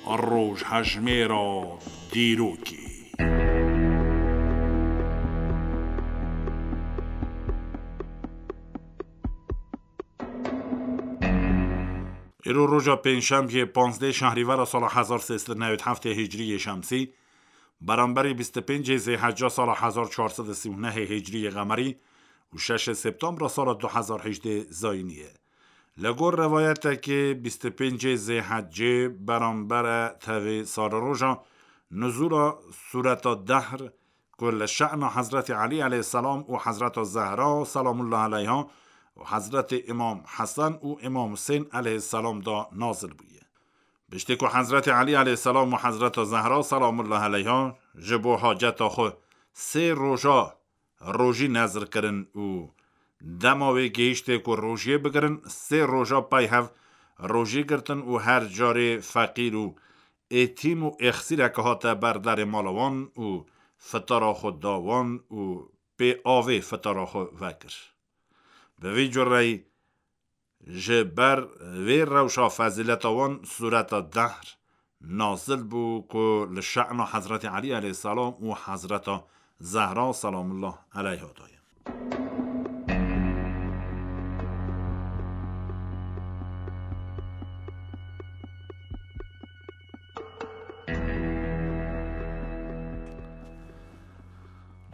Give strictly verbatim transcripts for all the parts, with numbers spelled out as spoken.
Rojhejmêra dîrokê. Îro roja pêncşemiyê, panzdeh şehrîvera sala hezar sê sed û newî heftê hicriyê şemsî, beramberî bîst û pêncê zêhecca sala hezar çar sed û sî û nehê hicriyê qemerî û şeşê septembra sala du hezar hejdê zayînî ye. Li gor rewayetekê, bîst û pêncê zêhecê beramber e tevî sar roja nuzûla Sûreta Dehr, ku li şe'na Hezretî Elî aleyhisselam û Hezreta Zehra selamullah aleyha û Hezretî Îmam Hesen û Îmam Husên aleyhisselam de nazil bûye. Piştî ku Hezretî Elî aleyhisselam û Hezreta Zehra selamullah aleyha ji bo haceta xwe sê roja rojî nezir kirin û dema wê gihîştê ku rojiyê bigirin, sê roja pey hev rojî girtin û her carê feqîr û êtîm û êxsîreke hate ber derê mala wan û fitara xwe da wan û pê avê fitara xwe vekir. Bi vî cureyî ji ber vê rewşa fezîleta wan Sûreta Dehr nazil bû ku li şe'na Hezretî Elî aleyhisselam û Hezreta Zehra selamullah aleyha daye.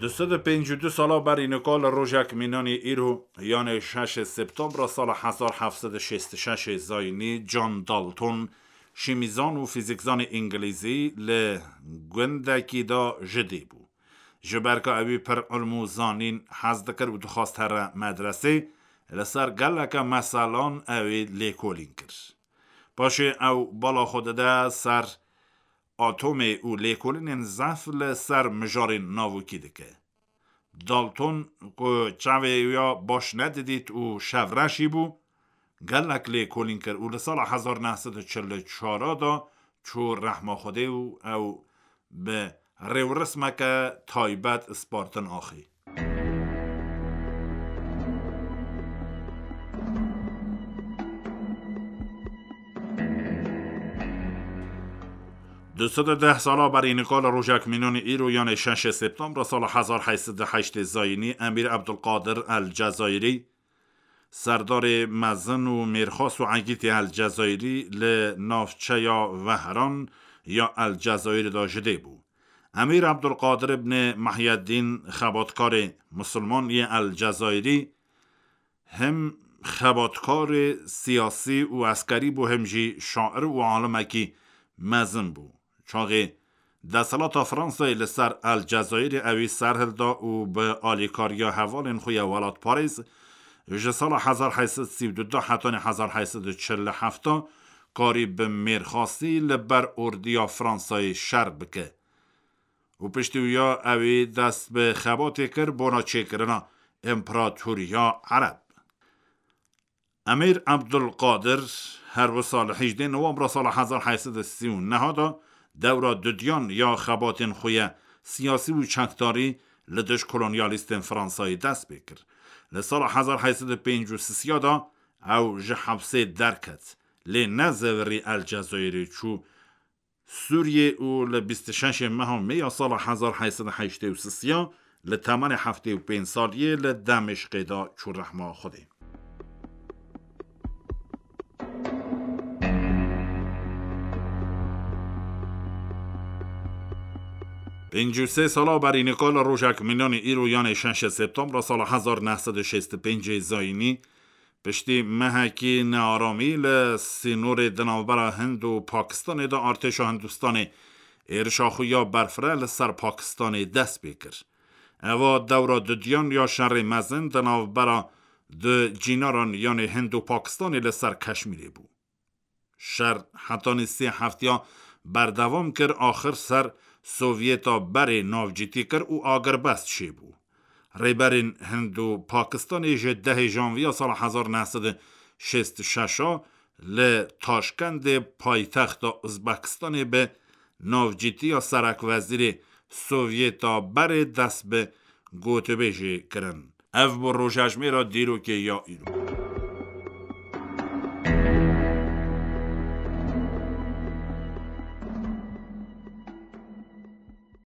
Du sed û pêncî û du sala berî nika li rojek mînanî îro, yanê şeşê septembra sala hezar heft sed û şêst û şeşê zayînî, John Dalton, şîmîzan û fîzîkzanê îngilîzî, li gundekî de ji dê bû. Ji ber ku ewî pir ilm û zanîn hez dikir û dixwest here medresê, li ser geleke meselan ewî lêkolîn kir. Paşê ew bala xwe dide ser atomê û lêkolînên zehf li ser mijarên navokî dike. Dalton, ku çavê wî ya baş nedidît û şevreşî bû, gelek lêkolîn kir û li sala hezar neh sed û çil û çar de çû rehma Xwedê û ew bi rêwrismeke taybet spartin axê. Du sed û deh sala berî nika li rojek mînanî îro, yanê şeşê septembra sala hezar heyt sed û heştê zayînî, Emîr Ebdulqadir El Cezayirî, serdarê mezin û mêrxas û egîtê El Cezayirî, li navçeya Vehran ya El Cezayirî de ji dê bû. Emîr Ebdulqadir ibn Mehyeddîn, xebatkarê misilman yê El Cezayirî, him xebatkarê siyasî û eskerî bû, him jî şair û alimekî mezin bû. Çaxê desthilata Fransayê li ser El Cezayirê ewî serhilda û bi alîkariya hevalên xwe ya welatparêz, ji sala hezar heyt sed sî û du hetanî hezar heyt sed û çil û heft karî bi mêrxasî li ber ordiya Fransayê şer bike. Û piştî wî ya ewî dest bi xebatê kir bona çêkirina împeratoriya Ereb. Emîr Ebdulqadir her wisa li hejdê Nowembra sala hezar heyt sed û sî û neh de dewra dudiyan ya xebatên xwe ye siyasî û çekdarî li dij kolonyalîstên Fransayê dest pê kir. Li sala hezar heyt sed û pêncî û sê de ew ji hepsê derket, lê ne zevirî El Cezayirê çû Sûriyê û li bîst û şeşê meha Mê ya sala hezar heyt sed û heştê û sê li temenê heftê û pênc saliyê li Demişqê de çû rehma Xwedê. Pêncî û sê sala berî nika li rojek mînanî îro, yanê şeşê septembra sala hezar neh sed û şêst û pêncê zayînî, piştî mehekî nearamî li sînorê di navbera Hind û Pakistanê de artêşa Hindistanê êrişa xwe ya berfireh li ser Pakistanê dest pê kir. Eva dewra dudiyan ya şerê mezin di navbera du cînaran, yanê Hind û Pakistanê, li ser Keşmîrê bû. Şer hetanî sê heftiya berdewam kir, axir ser Sovyeta berê navcîtî kir û agirbest çêbû. Rêberên Hind û Pakistanê ji dehê janviya sala hezar neh sed û şêst û şeş a li Taşkendê, paytexta Uzbekistanê, bi navcîtiya serekwezîrê Sovyeta berê dest bi gotûbêjê kirin. Ev bû rojejmêra dîrokê ya îro.